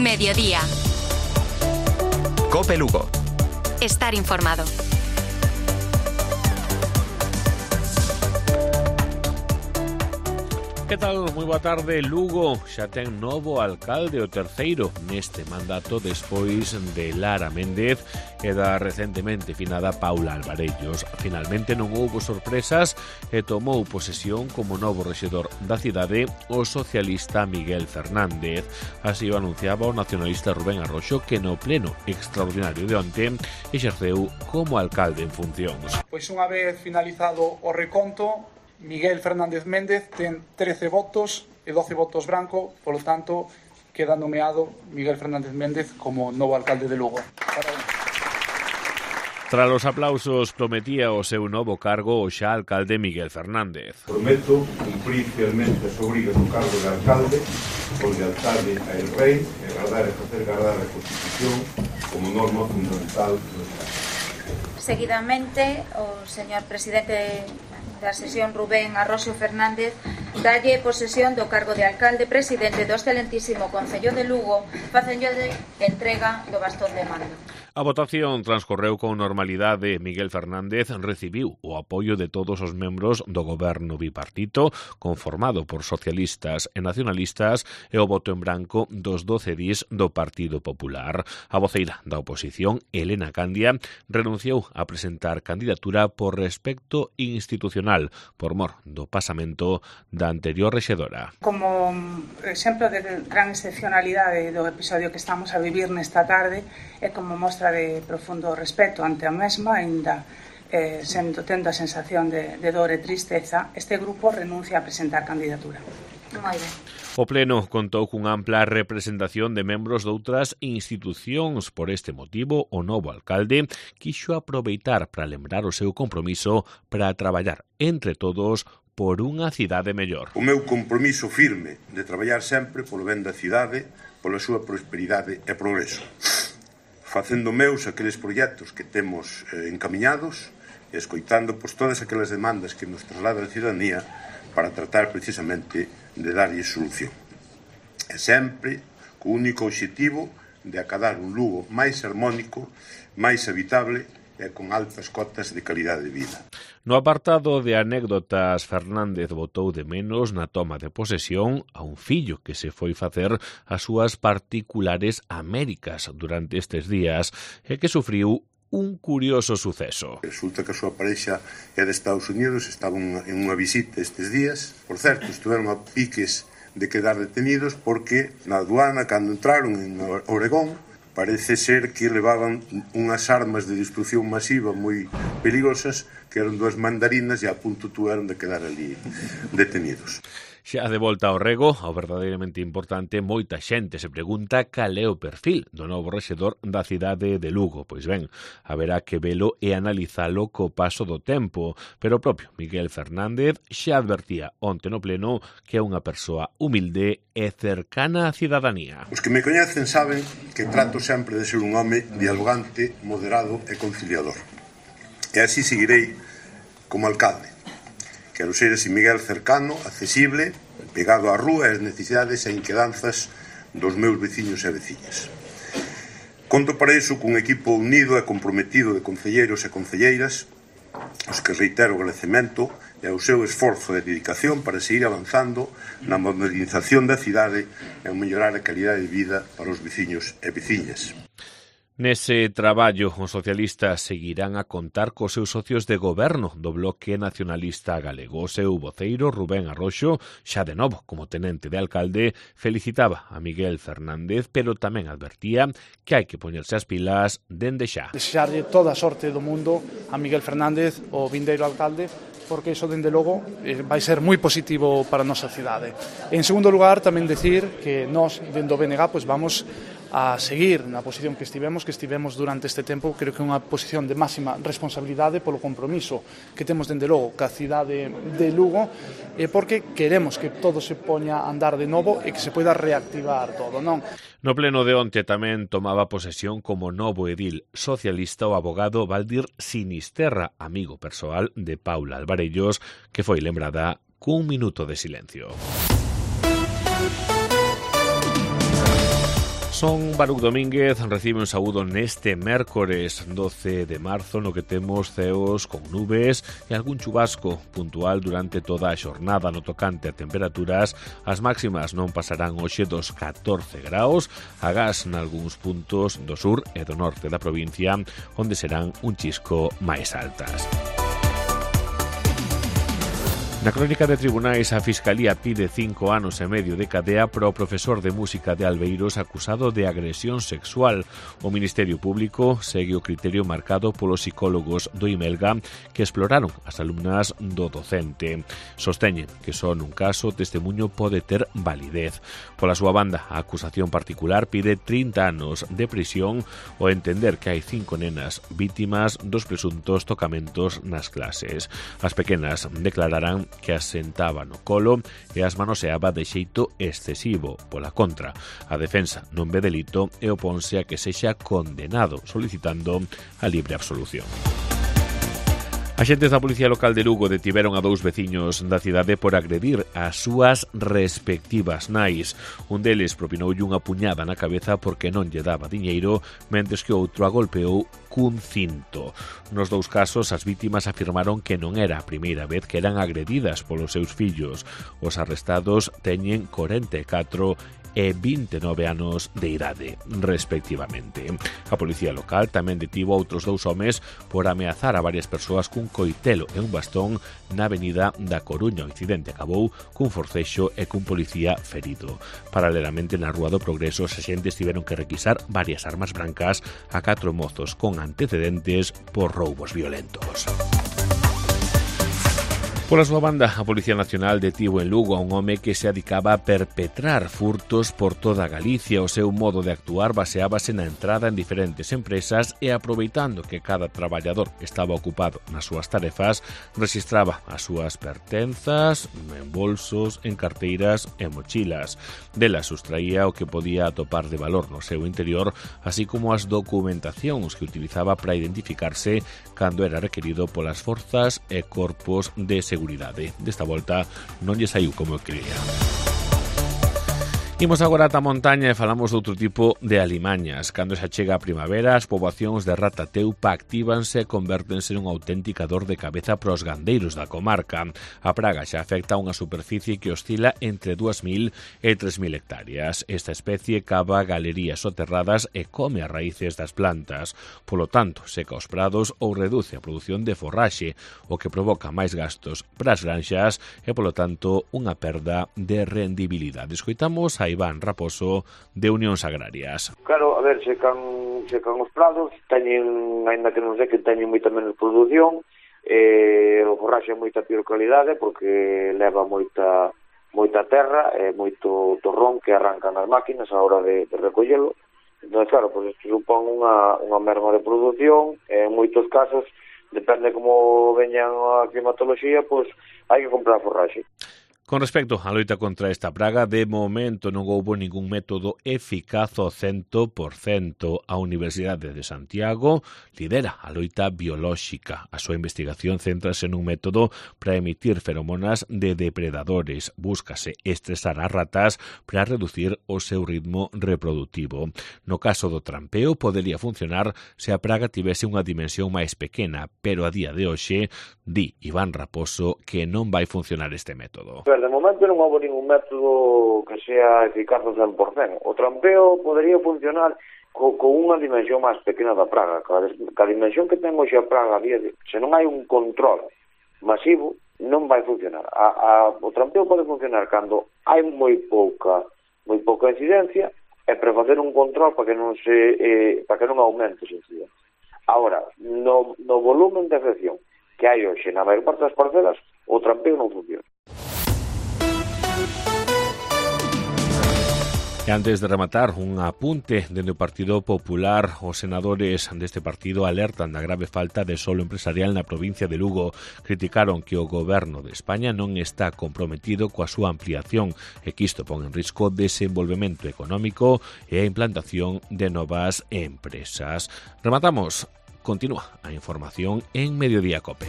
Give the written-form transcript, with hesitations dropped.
Mediodía. COPE Lugo. Estar informado. Que tal? Moi boa tarde. Lugo xa ten novo alcalde, o terceiro neste mandato despois de Lara Méndez e da recentemente finada Paula Alvarellos. Finalmente non houbo sorpresas e tomou posesión como novo rexedor da cidade o socialista Miguel Fernández. Así o anunciaba o nacionalista Rubén Arroxo, que no pleno extraordinario de onte exerceu como alcalde en funcións. Pois unha vez finalizado o reconto, Miguel Fernández Méndez ten 13 votos e 12 votos branco, polo tanto, queda nomeado Miguel Fernández Méndez como novo alcalde de Lugo. Tras os aplausos prometía o seu novo cargo o xa alcalde Miguel Fernández. Prometo cumprir fielmente as obrigas do cargo de alcalde con lealtade ao rei e guardar e facer guardar a Constitución como norma fundamental do Estado. Seguidamente, o señor presidente da sesión Rubén Arroxo Fernández dalle posesión do cargo de alcalde presidente do excelentísimo Concello de Lugo, facenlle entrega do bastón de mando. A votación transcorreu con normalidade. Miguel Fernández recibiu o apoio de todos os membros do goberno bipartito, conformado por socialistas e nacionalistas, e o voto en branco dos 12 dís do Partido Popular. A voceira da oposición, Elena Candia, renunciou a presentar candidatura por respecto institucional, por mor do pasamento da anterior rexedora. Como exemplo de gran excepcionalidade do episodio que estamos a vivir nesta tarde, e como mostra de profundo respeto ante a mesma, aínda tendo a sensación de dor e tristeza, este grupo renuncia a presentar candidatura. Moi ben. O pleno contou cunha ampla representación de membros doutras institucións. Por este motivo, o novo alcalde quixo aproveitar para lembrar o seu compromiso para traballar entre todos por unha cidade mellor. O meu compromiso firme de traballar sempre polo ben da cidade, pola súa prosperidade e progreso, facendo meus aqueles proxectos que temos encamiñados e escoitando todas aquelas demandas que nos traslada a cidadanía para tratar precisamente de darlle solución. E sempre co único obxectivo de acadar un Lugo máis armónico, máis habitable e con altas cotas de calidade de vida. No apartado de anécdotas, Fernández botou de menos na toma de posesión a un fillo que se foi facer as súas particulares Américas durante estes días e que sufriu un curioso suceso. Resulta que a súa parexa é de Estados Unidos, estaban en unha visita estes días. Por certo, estiveron a piques de quedar detenidos porque na aduana, cando entraron en Oregón, parece ser que levaban unhas armas de destrucción masiva moi perigosas, que eran 2 mandarinas, e a punto tuveron de quedar ali detenidos. Xa de volta ao rego, ao verdadeiramente importante, moita xente se pregunta cal é o perfil do novo rexedor da cidade de Lugo. Pois ben, haberá que velo e analizalo co paso do tempo, pero o propio Miguel Fernández xa advertía onte no pleno que é unha persoa humilde e cercana á cidadanía. Os que me coñecen saben que trato sempre de ser un home dialogante, moderado e conciliador. E así seguirei como alcalde. Quero ser ese Miguel cercano, accesible, pegado á rúa e as necesidades e inquedanzas dos meus veciños e veciñas. Conto para iso cun equipo unido e comprometido de concelleiros e concelleiras, os que reitero o agradecemento e o seu esforzo de dedicación para seguir avanzando na modernización da cidade e mellorar a calidade de vida para os veciños e veciñas. Nese traballo, os socialistas seguirán a contar cos seus socios de goberno do Bloque Nacionalista Galego. O seu voceiro, Rubén Arroxo, xa de novo como tenente de alcalde, felicitaba a Miguel Fernández, pero tamén advertía que hai que poñerse as pilas dende xa. Desexarlle toda a sorte do mundo a Miguel Fernández, o vindeiro alcalde, porque iso, dende logo, vai ser moi positivo para a nosa cidade. En segundo lugar, tamén decir que nós, dentro do BNG, pois vamos a seguir na posición que estivemos durante este tempo. Creo que é unha posición de máxima responsabilidade polo compromiso que temos, dende logo, ca cidade de Lugo, porque queremos que todo se poña a andar de novo e que se poida reactivar todo, non? No pleno de onte tamén tomaba posesión como novo edil socialista o abogado Valdir Sinisterra, amigo persoal de Paula Alvarellos, que foi lembrada cun minuto de silencio. Son Baruch Domínguez recibe un saúdo neste mércores 12 de marzo no que temos ceos con nubes e algún chubasco puntual durante toda a xornada. No tocante a temperaturas, as máximas non pasarán hoxe dos 14 graus, agás nalgúns puntos do sur e do norte da provincia, onde serán un chisco máis altas. Na crónica de tribunais, a Fiscalía pide 5 anos e medio de cadea para o profesor de música de Albeiros acusado de agresión sexual. O Ministerio Público segue o criterio marcado polos psicólogos do Imelga que exploraron as alumnas do docente. Sosteñen que só nun caso o testemunho pode ter validez. Pola súa banda, a acusación particular pide 30 anos de prisión ao entender que hai 5 nenas vítimas dos presuntos tocamentos nas clases. As pequenas declararán que as sentaba no colo e as manoseaba de xeito excesivo. Pola contra, a defensa non ve delito e oponse a que sexa condenado, solicitando a libre absolución. Axentes da Policía Local de Lugo detiveron a 2 veciños da cidade por agredir as súas respectivas nais. Un deles propinoulle unha puñada na cabeza porque non lle daba diñeiro, mentres que o outro a golpeou cun cinto. Nos 2 casos, as vítimas afirmaron que non era a primeira vez que eran agredidas polos seus fillos. Os arrestados teñen 44 e 29 anos de idade, respectivamente. A Policía Local tamén detivo a outros 2 homes por ameazar a varias persoas cun coitelo e un bastón na avenida da Coruña. O incidente acabou cun forcexo e cun policía ferido. Paralelamente, na Rúa do Progreso, os axentes tiveron que requisar varias armas brancas a 4 mozos con antecedentes por roubos violentos. Pola súa banda, a Policía Nacional detivo en Lugo a un home que se dedicaba a perpetrar furtos por toda Galicia. O seu modo de actuar baseábase na entrada en diferentes empresas e, aproveitando que cada traballador estaba ocupado nas súas tarefas, rexistraba as súas pertenzas en bolsos, en carteiras e mochilas. Delas sustraía o que podía atopar de valor no seu interior, así como as documentacións que utilizaba para identificarse cando era requerido polas forzas e corpos de seguridade. Desta volta non lle saiu como quería. Imos agora ata a montaña e falamos de outro tipo de alimañas. Cando se achega a primavera, as poboacións de ratateupa actívanse e convértense nun auténtica dor de cabeza para os gandeiros da comarca. A praga xa afecta a unha superficie que oscila entre 2.000 e 3.000 hectáreas. Esta especie cava galerías soterradas e come as raíces das plantas. Polo tanto, seca os prados ou reduce a produción de forraxe, o que provoca máis gastos para as granxas e, polo tanto, unha perda de rendibilidade. Escoitamos a Iván Raposo, de Unións Agrarias. Claro, a ver, secan os prados, teñen, ainda que non sei que teñen moita menos produción, o forraxe é moita pior calidade porque leva moita terra e moito torrón que arrancan as máquinas a hora de recollelo. Entón, claro, pues isto supón unha merma de produción e en moitos casos, depende como veñan a climatoloxía, pues hai que comprar forraxe. Con respecto á loita contra esta praga, de momento non houbo ningún método eficaz ao 100%. A Universidade de Santiago lidera a loita biolóxica. A súa investigación céntrase nun método para emitir feromonas de depredadores. Búscase estresar as ratas para reducir o seu ritmo reproductivo. No caso do trampeo, podería funcionar se a praga tivese unha dimensión máis pequena, pero a día de hoxe, di Iván Raposo, que non vai funcionar este método. De momento non houve ningún método que sea eficaz ao 100%. O trampeo podería funcionar con unha dimensión máis pequena da praga. Cada dimensión que ten hoxe a praga, se non hai un control masivo, non vai funcionar. O trampeo pode funcionar cando hai moi pouca incidencia e para facer un control para que non aumente esa incidencia. Ahora, no volumen de afección que hai hoxe na maior parte das parcelas, o trampeo non funciona. E antes de rematar, un apunte dende o Partido Popular. Os senadores deste partido alertan da grave falta de solo empresarial na provincia de Lugo. Criticaron que o goberno de España non está comprometido coa súa ampliación e que isto pon en risco o desenvolvemento económico e a implantación de novas empresas. Rematamos. Continúa a información en Mediodía Cope.